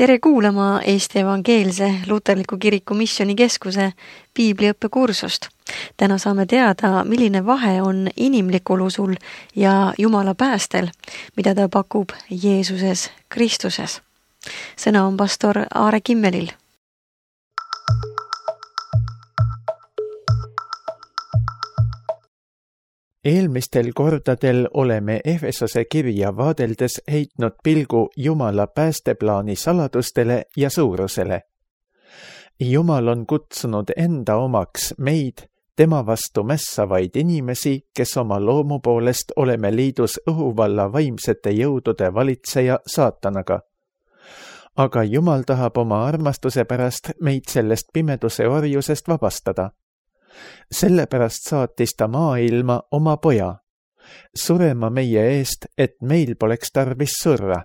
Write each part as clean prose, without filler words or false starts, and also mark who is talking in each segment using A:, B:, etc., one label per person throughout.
A: Tere kuulama Eesti Evangeelse Luterliku Kiriku Missioonikeskuse piibliõppekursust. Täna saame teada, milline vahe on inimlikul usul ja Jumala päästel, mida ta pakub Jeesuses Kristuses. Sõna on pastor Aare Kimmelil.
B: Eelmistel kordadel oleme Efesose kirja vaadeldes heitnud pilgu Jumala päästeplaani saladustele ja suurusele. Jumal on kutsunud enda omaks meid, tema vastu mässavaid inimesi, kes oma loomu poolest oleme liidus õhuvalla vaimsete jõudude valitseja saatanaga. Aga Jumal tahab oma armastuse pärast meid sellest pimeduse orjusest vabastada. Sellepärast saatis ta maailma oma poja, surema meie eest, et meil poleks tarvis surra.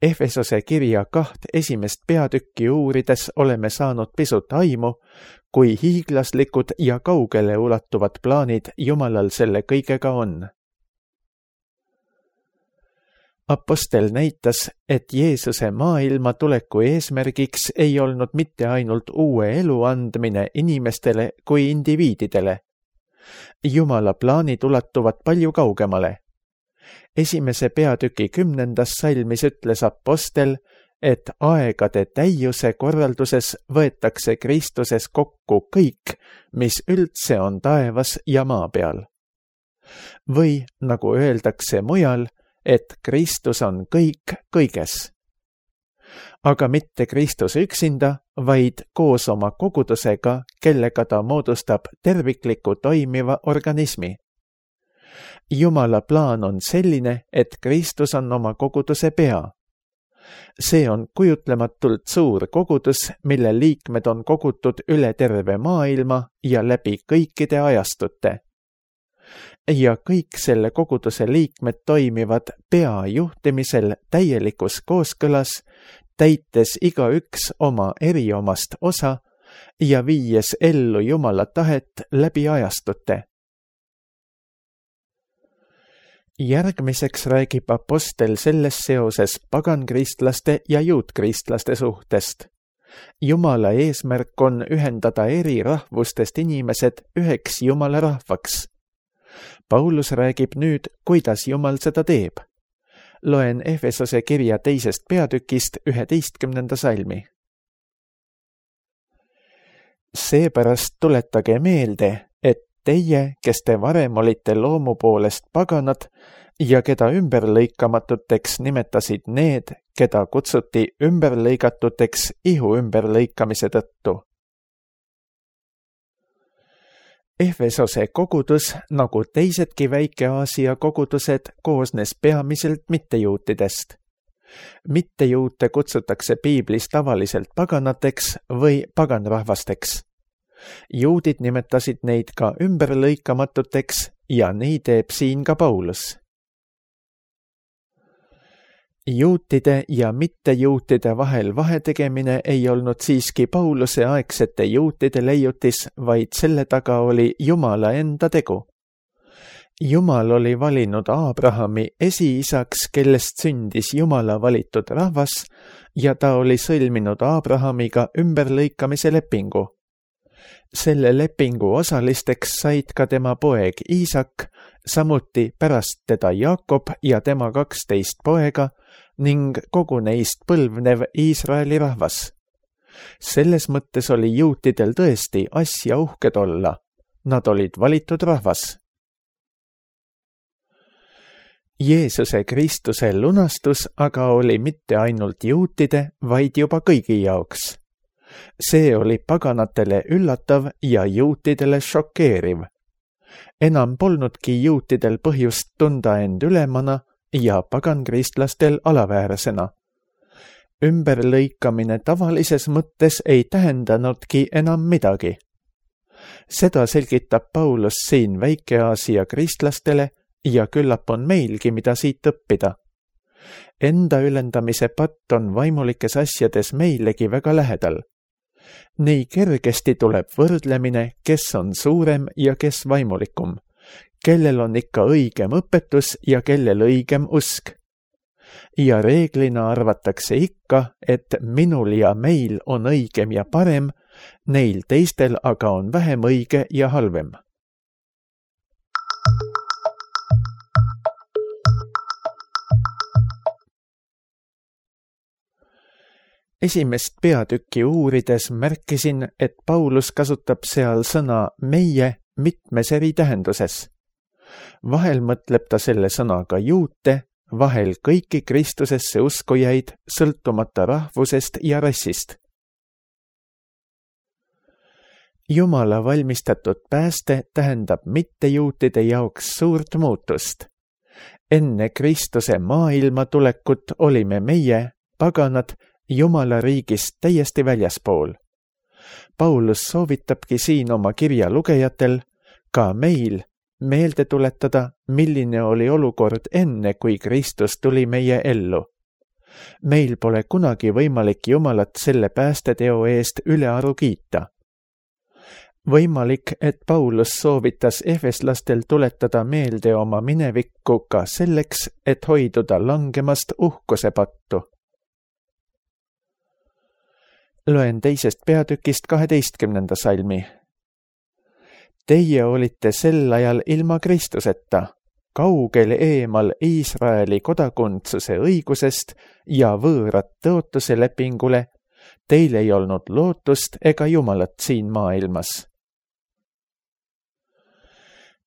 B: Efesose kirja 2 esimest peatükki uurides oleme saanud pisut aimu, kui hiiglaslikud ja kaugele ulatuvad plaanid Jumalal selle kõigega on. Apostel näitas, et Jeesuse maailma tuleku eesmärgiks ei olnud mitte ainult uue elu andmine inimestele kui indiviididele. Jumala plaanid ulatuvad palju kaugemale. Esimese peatüki 10. salmis ütles apostel, et aegade täiuse korralduses võetakse Kristuses kokku kõik, mis üldse on taevas ja maa peal. Või, nagu öeldakse mujal, et Kristus on kõik kõiges. Aga mitte Kristus üksinda, vaid koos oma kogudusega, kellega ta moodustab tervikliku toimiva organismi. Jumala plaan on selline, et Kristus on oma koguduse pea. See on kujutlematult suur kogudus, mille liikmed on kogutud üle terve maailma ja läbi kõikide ajastute. Ja kõik selle koguduse liikmed toimivad pea juhtimisel täielikus kooskõlas, täites igaüks oma eriomast osa ja viies ellu Jumala tahet läbi ajastute. Järgmiseks räägib apostel selles seoses pagankristlaste ja juutkristlaste suhtest. Jumala eesmärk on ühendada eri rahvustest inimesed üheks Jumala rahvaks. Paulus räägib nüüd, kuidas Jumal seda teeb. Loen Efesose kirja 2. peatükist 11. salmi. Seepärast tuletage meelde, et teie, kes te varem olite loomu poolest paganad ja keda ümberlõikamatuteks nimetasid need, keda kutsuti ümberlõigatuteks ihu ümberlõikamise tõttu. Efesose kogudus, nagu teisedki Väike-Aasia kogudused, koosnes peamiselt mittejuutidest. Mittejuute kutsutakse piiblis tavaliselt paganateks või paganrahvasteks. Juudid nimetasid neid ka ümberlõikamatuteks ja nii teeb siin ka Paulus. Juutide ja mittejuutide vahel vahetegemine ei olnud siiski Pauluse aegsete juutide leiutis, vaid selle taga oli Jumala enda tegu. Jumal oli valinud Abrahami esiisaks, kellest sündis Jumala valitud rahvas, ja ta oli sõlminud Abrahamiga ümberlõikamise lepingu. Selle lepingu osalisteks said ka tema poeg Iisak, samuti pärast teda Jaakob ja tema 12 poega ning kogu neist põlvnev Iisraeli rahvas. Selles mõttes oli juutidel tõesti asja uhked olla. Nad olid valitud rahvas. Jeesuse Kristuse lunastus aga oli mitte ainult juutide, vaid juba kõigi jaoks. See oli paganatele üllatav ja juutidele šokeeriv. Enam polnudki juutidel põhjust tunda end ülemana ja pagankristlastel alaväärsena. Ümberlõikamine tavalises mõttes ei tähendanudki enam midagi. Seda selgitab Paulus siin Väike-Aasia kristlastele ja küllap on meilgi, mida siit õppida. Enda ülendamise patt on vaimulikes asjades meilegi väga lähedal. Nii kergesti tuleb võrdlemine, kes on suurem ja kes vaimulikum, kellel on ikka õigem õpetus ja kellel õigem usk. ja reeglina arvatakse ikka, et minul ja meil on õigem ja parem, neil teistel aga on vähem õige ja halvem. Esimest peatükki uurides märkisin, et Paulus kasutab seal sõna meie mitmes eri tähenduses. Vahel mõtleb ta selle sõnaga juute, vahel kõiki Kristusesse uskujaid, sõltumata rahvusest ja rassist. Jumala valmistatud pääste tähendab mittejuutide jaoks suurt muutust. Enne Kristuse maailma tulekut olime meie, paganad, Jumala riigist täiesti väljaspool. Paulus soovitabki siin oma kirja lugejatel, ka meil, meelde tuletada, milline oli olukord enne, kui Kristus tuli meie ellu. Meil pole kunagi võimalik Jumalat selle päästeteo eest ülearu kiita. Võimalik, et Paulus soovitas efeslastel tuletada meelde oma minevikku ka selleks, et hoiduda langemast uhkuse pattu. Loen 2. peatükist 12. salmi. Teie olite sel ajal ilma Kristuseta, kaugel eemal Iisraeli kodakondsuse õigusest ja võõrat tõotuse lepingule, teil ei olnud lootust ega Jumalat siin maailmas.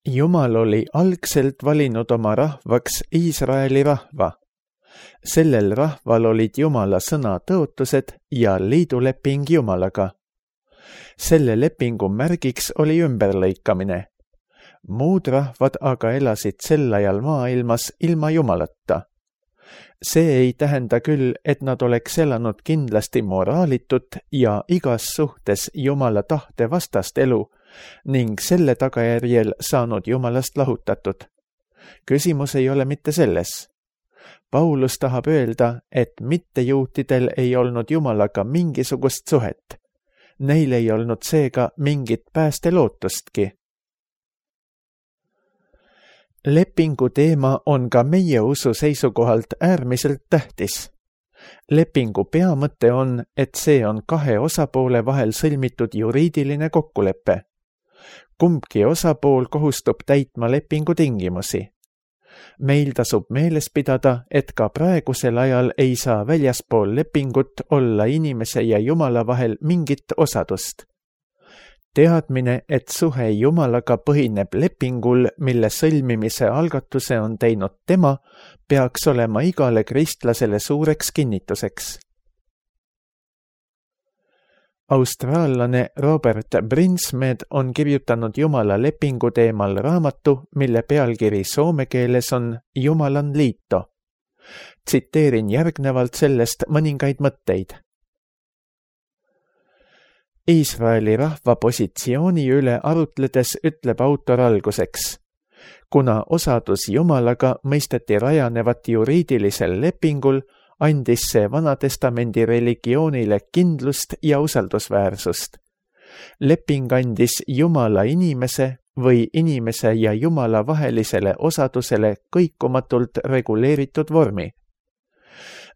B: Jumal oli algselt valinud oma rahvaks Iisraeli rahva. Sellel rahval olid Jumala sõna tõotused ja liiduleping Jumalaga. Selle lepingu märgiks oli ümberlõikamine. Muud rahvad aga elasid sel ajal maailmas ilma Jumalata. See ei tähenda küll, et nad oleks elanud kindlasti moraalitut ja igas suhtes Jumala tahte vastast elu ning selle tagajärjel saanud Jumalast lahutatud. Küsimus ei ole mitte selles. Paulus tahab öelda, et mittejuutidel ei olnud Jumalaga mingisugust suhet. Neil ei olnud seega mingit päästelootustki. Lepingu teema on ka meie usu seisukohalt äärmiselt tähtis. Lepingu peamõte on, et see on kahe osapoole vahel sõlmitud juriidiline kokkulepe. Kumbki osapool kohustub täitma lepingu tingimusi. Meil tasub meeles pidada, et ka praegusel ajal ei saa väljaspool lepingut olla inimese ja Jumala vahel mingit osadust. Teadmine, et suhe Jumalaga põhineb lepingul, mille sõlmimise algatuse on teinud tema, peaks olema igale kristlasele suureks kinnituseks. Austraallane Robert Brinsmed on kirjutanud Jumala lepingu teemal raamatu, mille pealkiri soome keeles on Jumalan liito. Tsiteerin järgnevalt sellest mõningaid mõtteid. Iisraeli rahva positsiooni üle arutledes ütleb autor alguseks. Kuna osadus Jumalaga mõisteti rajanevat juriidilisel lepingul, andis see Vanatestamendi religioonile kindlust ja usaldusväärsust. Leping andis Jumala inimese või inimese ja Jumala vahelisele osadusele kõikumatult reguleeritud vormi.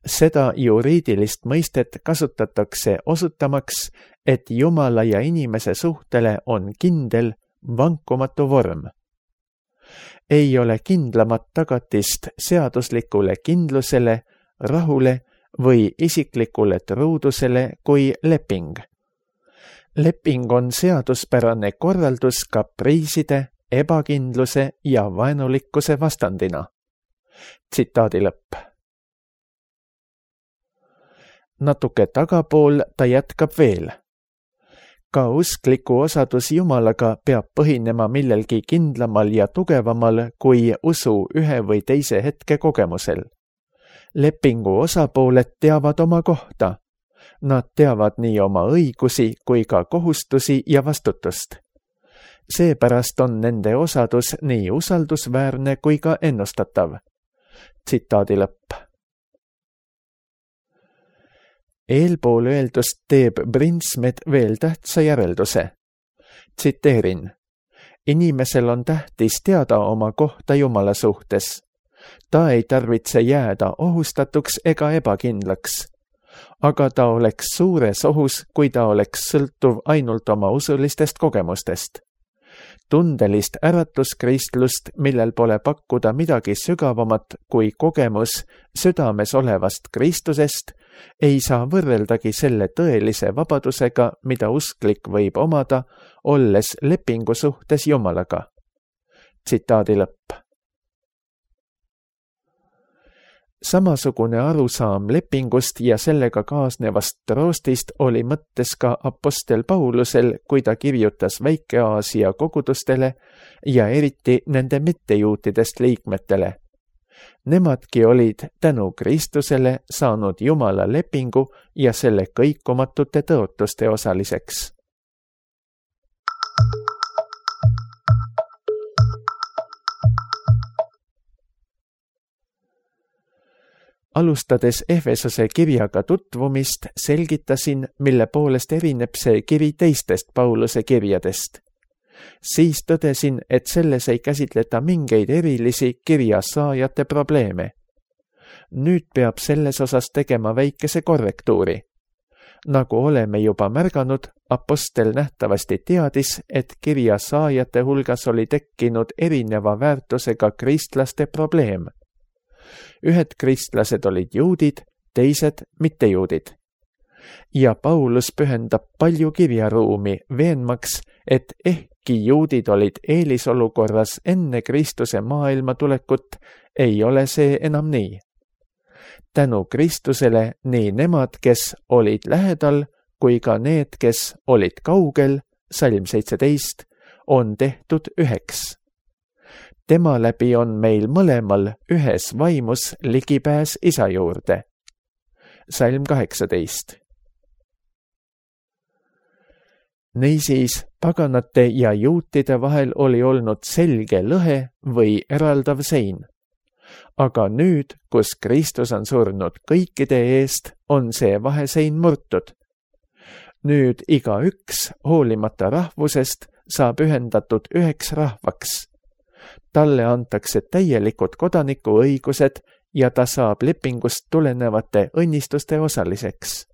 B: Seda juriidilist mõistet kasutatakse osutamaks, et Jumala ja inimese suhtele on kindel, vankumatu vorm. Ei ole kindlamat tagatist seaduslikule kindlusele, rahule või isiklikule truudusele kui leping. Leping on seaduspärane korraldus kapriiside, ebakindluse ja vaenulikkuse vastandina. Tsitaadi lõpp. Natuke tagapool ta jätkab veel. Ka uskliku osadus Jumalaga peab põhinema millelgi kindlamal ja tugevamal kui usu ühe või teise hetke kogemusel. Lepingu osapooled teavad oma kohta. Nad teavad nii oma õigusi kui ka kohustusi ja vastutust. Seepärast on nende osadus nii usaldusväärne kui ka ennustatav. Tsitaadi lõpp. Eelpool öeldust teeb Brinsmed veel tähtsa järelduse. Tsiteerin. Inimesel on tähtis teada oma kohta Jumala suhtes. Ta ei tarvitse jääda ohustatuks ega ebakindlaks, aga ta oleks suures ohus, kui ta oleks sõltuv ainult oma usulistest kogemustest. Tundelist äratuskristlust, millel pole pakkuda midagi sügavamat kui kogemus südames olevast Kristusest, ei saa võrreldagi selle tõelise vabadusega, mida usklik võib omada, olles lepingu suhtes Jumalaga. Tsitaadi lõpp. Samasugune arusaam lepingust ja sellega kaasnevast troostist oli mõttes ka apostel Paulusel, kui ta kirjutas Väike-Aasia kogudustele ja eriti nende mittejuutidest liikmetele. Nemadki olid tänu Kristusele saanud Jumala lepingu ja selle kõikumatute tõotuste osaliseks. Alustades Efesose kirjaga tutvumist, selgitasin, mille poolest erineb see kiri teistest Pauluse kirjadest. Siis tõdesin, et selles ei käsitleta mingeid erilisi kirja saajate probleeme. Nüüd peab selles osas tegema väikese korrektuuri. Nagu oleme juba märganud, apostel nähtavasti teadis, et kirja saajate hulgas oli tekkinud erineva väärtusega kristlaste probleem. Ühed kristlased olid juudid, teised mittejuudid. Ja Paulus pühendab palju kirjaruumi veenmaks, et ehkki juudid olid eelisolukorras enne Kristuse maailma tulekut, ei ole see enam nii. Tänu Kristusele nii nemad, kes olid lähedal, kui ka need, kes olid kaugel, salm 17, on tehtud üheks. Tema läbi on meil mõlemal ühes vaimus ligipääs Isa juurde. Salm 18. Niisiis, paganate ja juutide vahel oli olnud selge lõhe või eraldav sein. Aga nüüd, kus Kristus on surnud kõikide eest, on see vahesein murtud. Nüüd igaüks, hoolimata rahvusest, saab ühendatud üheks rahvaks. Talle antakse täielikud kodanikuõigused ja ta saab lepingust tulenevate õnnistuste osaliseks.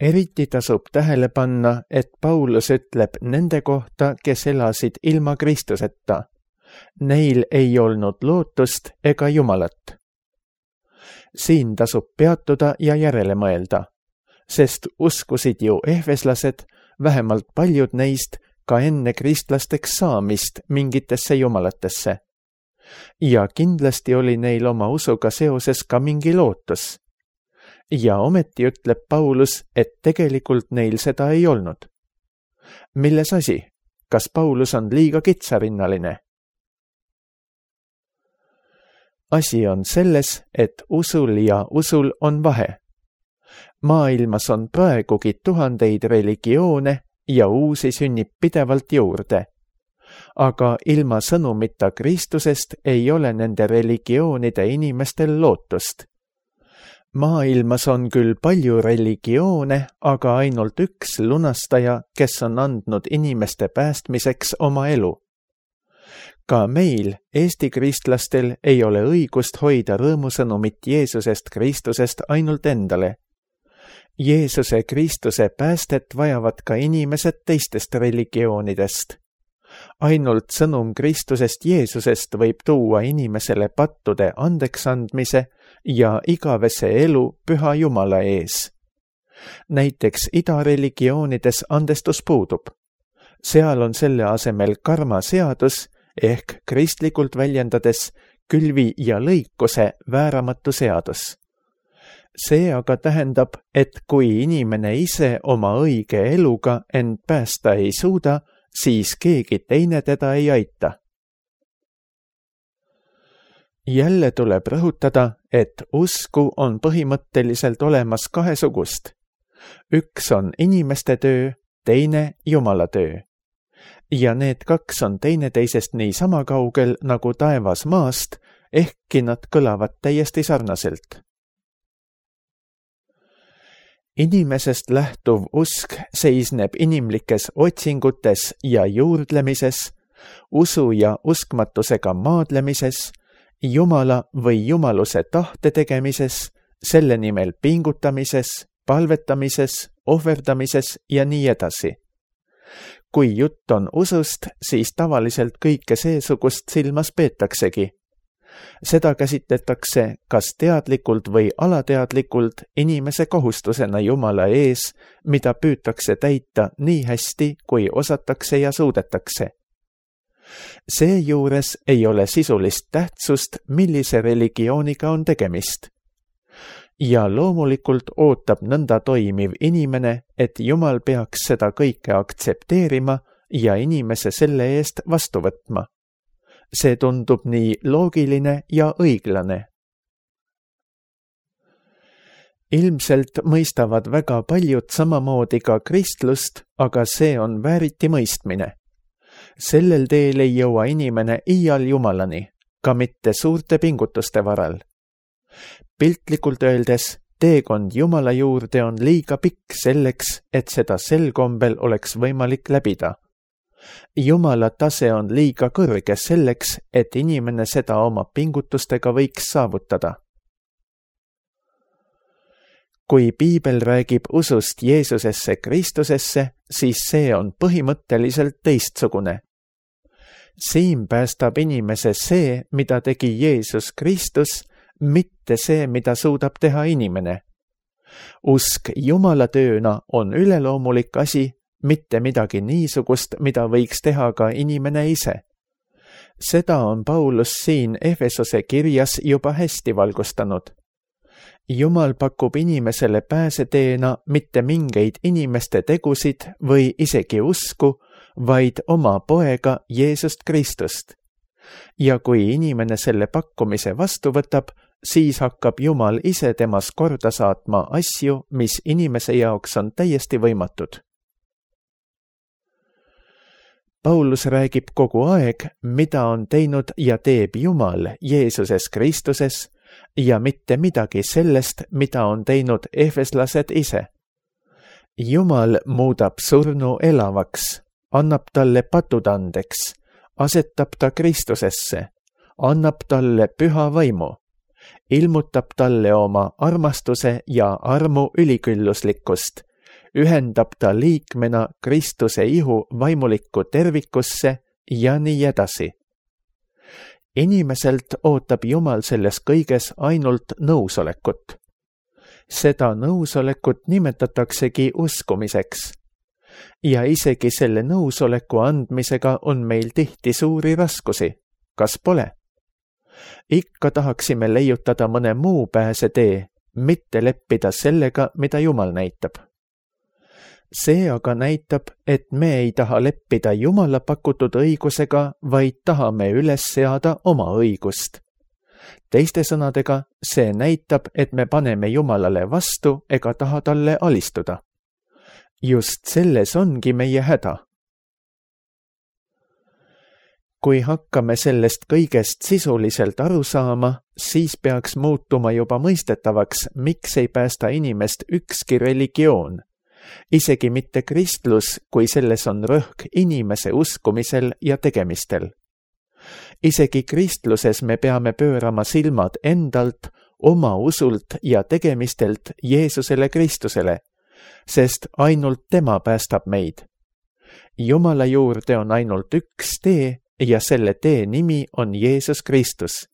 B: Eriti tasub tähele panna, et Paulus ütleb nende kohta, kes elasid ilma Kristuseta. Neil ei olnud lootust ega Jumalat. Siin tasub peatuda ja järele mõelda, sest uskusid ju ehveslased, vähemalt paljud neist, ka enne kristlasteks saamist mingitesse jumalatesse. Ja kindlasti oli neil oma usuga seoses ka mingi lootus. Ja ometi ütleb Paulus, et tegelikult neil seda ei olnud. Milles asi? Kas Paulus on liiga kitsarinnaline? Asi on selles, et usul ja usul on vahe. Maailmas on praegugi tuhandeid religioone ja uusi sünnib pidevalt juurde. Aga ilma sõnumita Kristusest ei ole nende religioonide inimestel lootust. Maailmas on küll palju religioone, aga ainult üks lunastaja, kes on andnud inimeste päästmiseks oma elu. Ka meil, Eesti kristlastel, ei ole õigust hoida rõõmusõnumit Jeesusest Kristusest ainult endale. Jeesuse Kristuse päästet vajavad ka inimesed teistest religioonidest. Ainult sõnum Kristusest Jeesusest võib tuua inimesele pattude andeksandmise ja igavese elu püha Jumala ees. Näiteks idareligioonides andestus puudub. Seal on selle asemel karmaseadus ehk kristlikult väljendades külvi ja lõikuse vääramatu seadus. See aga tähendab, et kui inimene ise oma õige eluga end päästa ei suuda, siis keegi teine teda ei aita. Jälle tuleb rõhutada, et usku on põhimõtteliselt olemas kahesugust. Üks on inimeste töö, teine Jumala töö. Ja need kaks on teineteisest nii sama kaugel nagu taevas maast, ehkki nad kõlavad täiesti sarnaselt. Inimesest lähtuv usk seisneb inimlikes otsingutes ja juurdlemises, usu ja uskmatusega maadlemises, Jumala või jumaluse tahte tegemises, selle nimel pingutamises, palvetamises, ohverdamises ja nii edasi. Kui jutt on usust, siis tavaliselt kõike seesugust silmas peetaksegi. Seda käsitletakse kas teadlikult või alateadlikult inimese kohustusena Jumala ees, mida püütakse täita nii hästi, kui osatakse ja suudetakse. Seejuures ei ole sisulist tähtsust, millise religiooniga on tegemist. Ja loomulikult ootab nõnda toimiv inimene, et Jumal peaks seda kõike aktsepteerima ja inimese selle eest vastu võtma. See tundub nii loogiline ja õiglane. Ilmselt mõistavad väga paljud samamoodi ka kristlust, aga see on vääriti mõistmine. Sellel teel ei jõua inimene iial Jumalani, ka mitte suurte pingutuste varal. Piltlikult öeldes, teekond Jumala juurde on liiga pikk selleks, et seda sel kombel oleks võimalik läbida. Jumala tase on liiga kõrge selleks, et inimene seda oma pingutustega võiks saavutada. Kui Piibel räägib usust Jeesusesse Kristusesse, siis see on põhimõtteliselt teistsugune. Siin päästab inimese see, mida tegi Jeesus Kristus, mitte see, mida suudab teha inimene. Usk Jumala tööna on üleloomulik asi, mitte midagi niisugust, mida võiks teha ka inimene ise. Seda on Paulus siin Efesose kirjas juba hästi valgustanud. Jumal pakub inimesele pääseteena mitte mingeid inimeste tegusid või isegi usku, vaid oma poega Jeesust Kristust. Ja kui inimene selle pakkumise vastu võtab, siis hakkab Jumal ise temas korda saatma asju, mis inimese jaoks on täiesti võimatud. Paulus räägib kogu aeg, mida on teinud ja teeb Jumal Jeesuses Kristuses ja mitte midagi sellest, mida on teinud efeslased ise. Jumal muudab surnu elavaks, annab talle patud andeks, asetab ta Kristusesse, annab talle püha vaimu, ilmutab talle oma armastuse ja armu ülikülluslikkust, ühendab ta liikmena Kristuse ihu vaimulikku tervikusse ja nii edasi. Inimeselt ootab Jumal selles kõiges ainult nõusolekut. Seda nõusolekut nimetataksegi uskumiseks. Ja isegi selle nõusoleku andmisega on meil tihti suuri raskusi. Kas pole? Ikka tahaksime leiutada mõne muu pääsetee, mitte leppida sellega, mida Jumal näitab. See aga näitab, et me ei taha leppida Jumala pakutud õigusega, vaid tahame üles seada oma õigust. Teiste sõnadega, see näitab, et me paneme Jumalale vastu ega taha talle alistuda. Just selles ongi meie häda. Kui hakkame sellest kõigest sisuliselt aru saama, siis peaks muutuma juba mõistetavaks, miks ei päästa inimest ükski religioon. Isegi mitte kristlus, kui selles on rõhk inimese uskumisel ja tegemistel. Isegi kristluses me peame pöörama silmad endalt, oma usult ja tegemistelt Jeesusele Kristusele, sest ainult tema päästab meid. Jumala juurde on ainult üks tee ja selle tee nimi on Jeesus Kristus.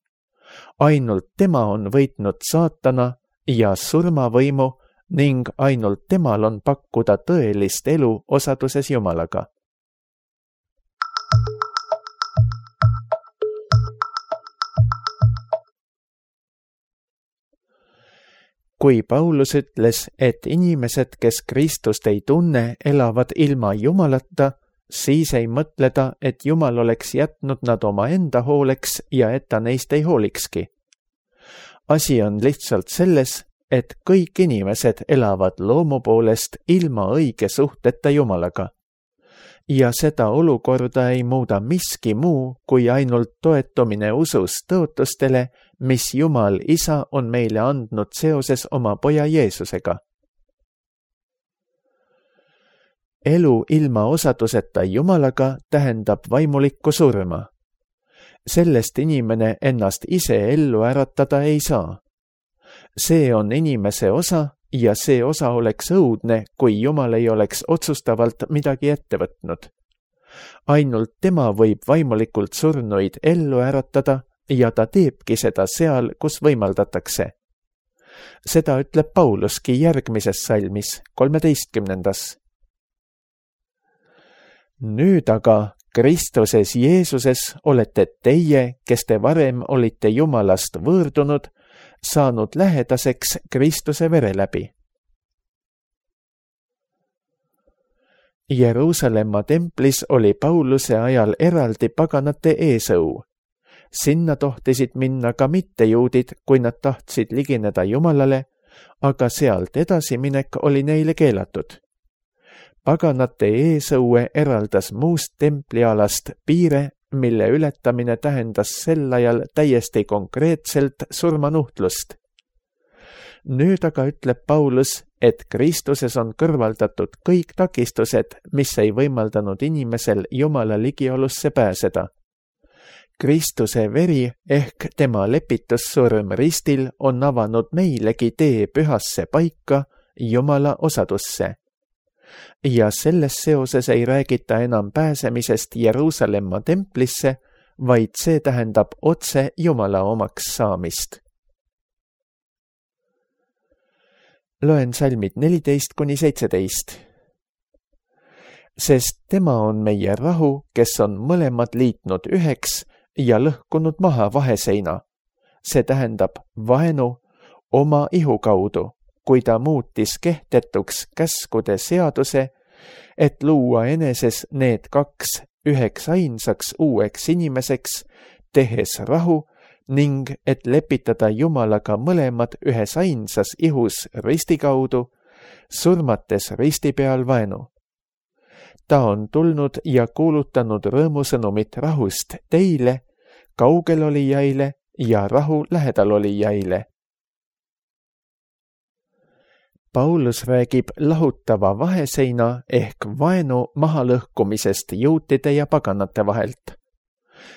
B: Ainult tema on võitnud saatana ja surmavõimu ning ainult temal on pakkuda tõelist elu osaduses Jumalaga. Kui Paulus ütles, et inimesed, kes Kristust ei tunne, elavad ilma Jumalata, siis ei mõtle ta, et Jumal oleks jätnud nad oma enda hooleks ja et ta neist ei hoolikski. Asi on lihtsalt selles, et kõik inimesed elavad loomu poolest ilma õige suhteta Jumalaga. Ja seda olukorda ei muuda miski muu, kui ainult toetumine usus tõotustele, mis Jumal Isa on meile andnud seoses oma poja Jeesusega. elu ilma osaduseta Jumalaga tähendab vaimulikku surma. Sellest inimene ennast ise ellu äratada ei saa. See on inimese osa ja see osa oleks õudne, kui Jumal ei oleks otsustavalt midagi ette võtnud. Ainult tema võib vaimulikult surnuid ellu äratada ja ta teebki seda seal, kus võimaldatakse. Seda ütleb Pauluski järgmises salmis, 13. Nüüd aga Kristuses Jeesuses olete teie, kes te varem olite Jumalast võõrdunud, saanud lähedaseks Kristuse vere läbi. Jeruusalemma templis oli Pauluse ajal eraldi paganate eesõu. Sinna tohtisid minna ka mittejuudid, kui nad tahtsid ligineda Jumalale, aga sealt edasiminek oli neile keelatud. Paganate eesõue eraldas muust templialast piire, mille ületamine tähendas sel ajal täiesti konkreetselt surmanuhtlust. Nüüd aga ütleb Paulus, et Kristuses on kõrvaldatud kõik takistused, mis ei võimaldanud inimesel Jumala ligiolusse pääseda. Kristuse veri ehk tema lepitussurm ristil on avanud meilegi tee pühasse paika Jumala osadusse. Ja selles seoses ei räägita enam pääsemisest Jeruusalemma templisse, vaid see tähendab otse Jumala omaks saamist. Loen salmid 14-17. Sest tema on meie rahu, kes on mõlemad liitnud üheks ja lõhkunud maha vaheseina. See tähendab vaenu oma ihu kaudu, kui ta muutis kehtetuks käskude seaduse, et luua eneses need kaks üheks ainsaks uueks inimeseks, tehes rahu ning et lepitada Jumalaga mõlemad ühes ainsas ihus risti kaudu, surmates risti peal vaenu. Ta on tulnud ja kuulutanud rõõmusõnumit rahust teile, kaugel olijaile ja rahu lähedal olijaile. Paulus räägib lahutava vaheseina ehk vaenu mahalõhkumisest juutide ja paganate vahelt.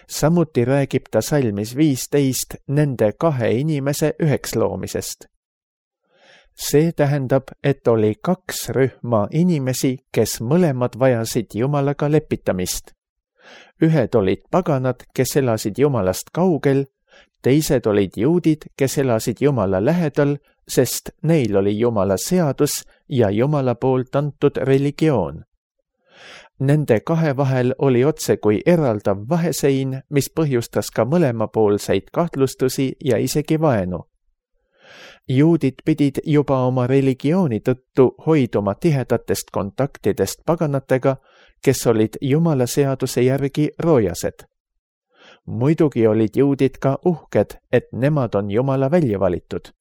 B: Samuti räägib ta salmis 15 nende kahe inimese üheks loomisest. See tähendab, et oli kaks rühma inimesi, kes mõlemad vajasid Jumalaga lepitamist. Ühed olid paganad, kes elasid Jumalast kaugel, teised olid juudid, kes elasid Jumala lähedal, sest neil oli Jumala seadus ja Jumala poolt antud religioon. Nende kahe vahel oli otse kui eraldav vahesein, mis põhjustas ka mõlemapoolseid kahtlustusi ja isegi vaenu. Juudid pidid juba oma religiooni tõttu hoiduma tihedatest kontaktidest paganatega, kes olid Jumala seaduse järgi roojased. Muidugi olid juudid ka uhked, et nemad on Jumala välja valitud.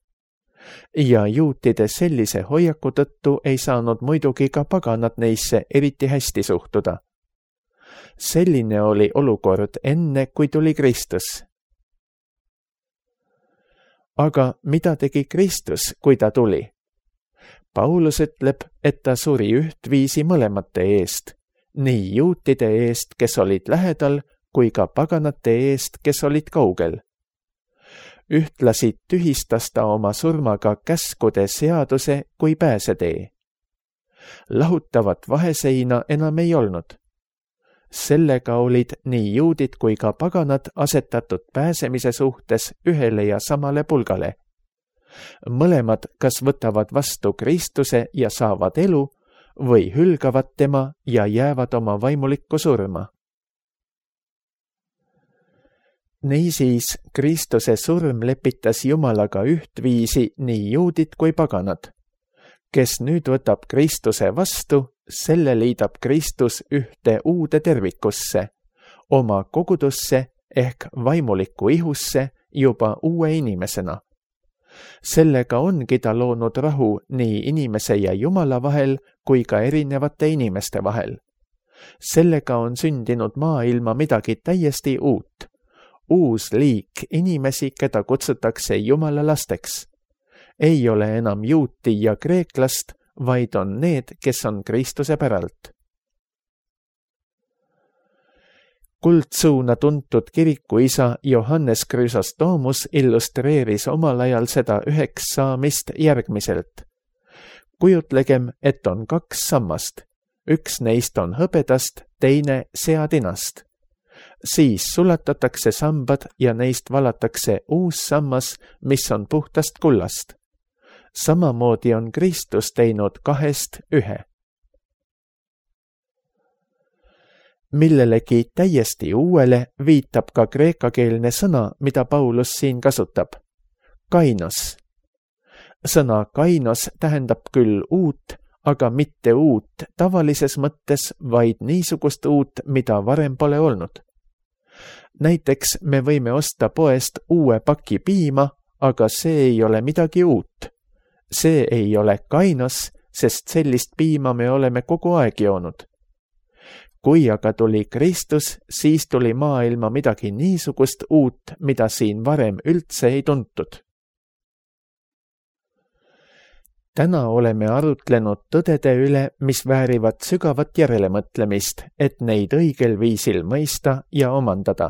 B: Ja juutide sellise hoiaku tõttu ei saanud muidugi ka paganad neisse eriti hästi suhtuda. Selline oli olukord enne, kui tuli Kristus. Aga mida tegi Kristus, kui ta tuli? Paulus ütleb, et ta suri ühtviisi mõlemate eest, nii juutide eest, kes olid lähedal, kui ka paganate eest, kes olid kaugel. Ühtlasi tühistas ta oma surmaga käskude seaduse kui pääsetee. Lahutavat vaheseina enam ei olnud. Sellega olid nii juudid kui ka paganad asetatud pääsemise suhtes ühele ja samale pulgale. Mõlemad kas võtavad vastu Kristuse ja saavad elu või hülgavad tema ja jäävad oma vaimulikku surma. Niisiis, Kristuse surm lepitas Jumalaga ühtviisi nii juudid kui paganad. Kes nüüd võtab Kristuse vastu, selle liidab Kristus ühte uude tervikusse, oma kogudusse ehk vaimulikku ihusse juba uue inimesena. Sellega ongi ta loonud rahu nii inimese ja Jumala vahel kui ka erinevate inimeste vahel. Sellega on sündinud maailma midagi täiesti uut. Uus liik inimesi, keda kutsutakse Jumala lasteks. Ei ole enam juuti ja kreeklast, vaid on need, kes on Kristuse päralt. Kuldsuuna tuntud kirikuisa Johannes Chrysostomos illustreeris omal ajal seda üheks saamist järgmiselt. Kujutlegem, et on 2 sammast. Üks neist on hõbedast, teine seatinast. Siis sulatatakse sambad ja neist valatakse uus sammas, mis on puhtast kullast. Samamoodi on Kristus teinud 2-st 1. Millelegi täiesti uuele viitab ka kreekakeelne sõna, mida Paulus siin kasutab. Kainos. Sõna kainos tähendab küll uut, aga mitte uut tavalises mõttes, vaid niisugust uut, mida varem pole olnud. Näiteks me võime osta poest uue paki piima, aga see ei ole midagi uut. See ei ole kainos, sest sellist piima me oleme kogu aeg joonud. Kui aga tuli Kristus, siis tuli maailma midagi niisugust uut, mida siin varem üldse ei tuntud. Täna oleme arutlenud tõdede üle, mis väärivad sügavat järelemõtlemist, et neid õigel viisil mõista ja omandada.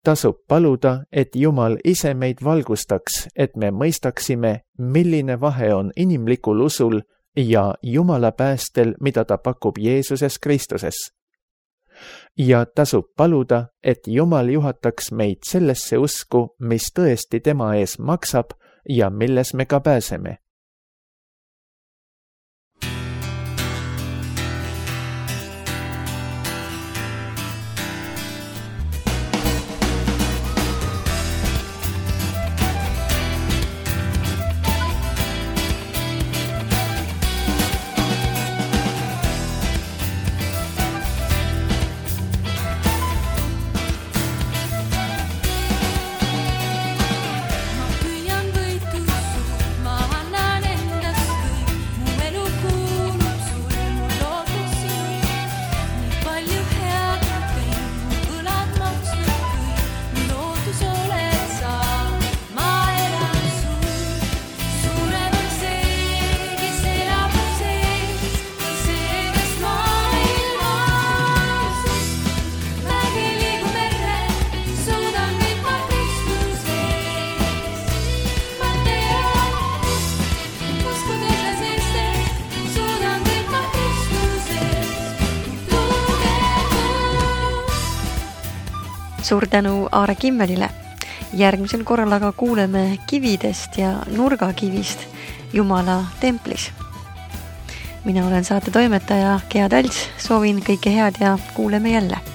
B: Tasub paluda, et Jumal ise meid valgustaks, et me mõistaksime, milline vahe on inimlikul usul ja Jumala päästel, mida ta pakub Jeesuses Kristuses. Ja tasub paluda, et Jumal juhataks meid sellesse usku, mis tõesti tema ees maksab ja milles me ka pääseme.
A: Suur tänu Aare Kimmelile. Järgmisel korral aga kuuleme kividest ja nurgakivist Jumala templis. Mina olen saate toimetaja Gea Talts, soovin kõike head ja kuuleme jälle.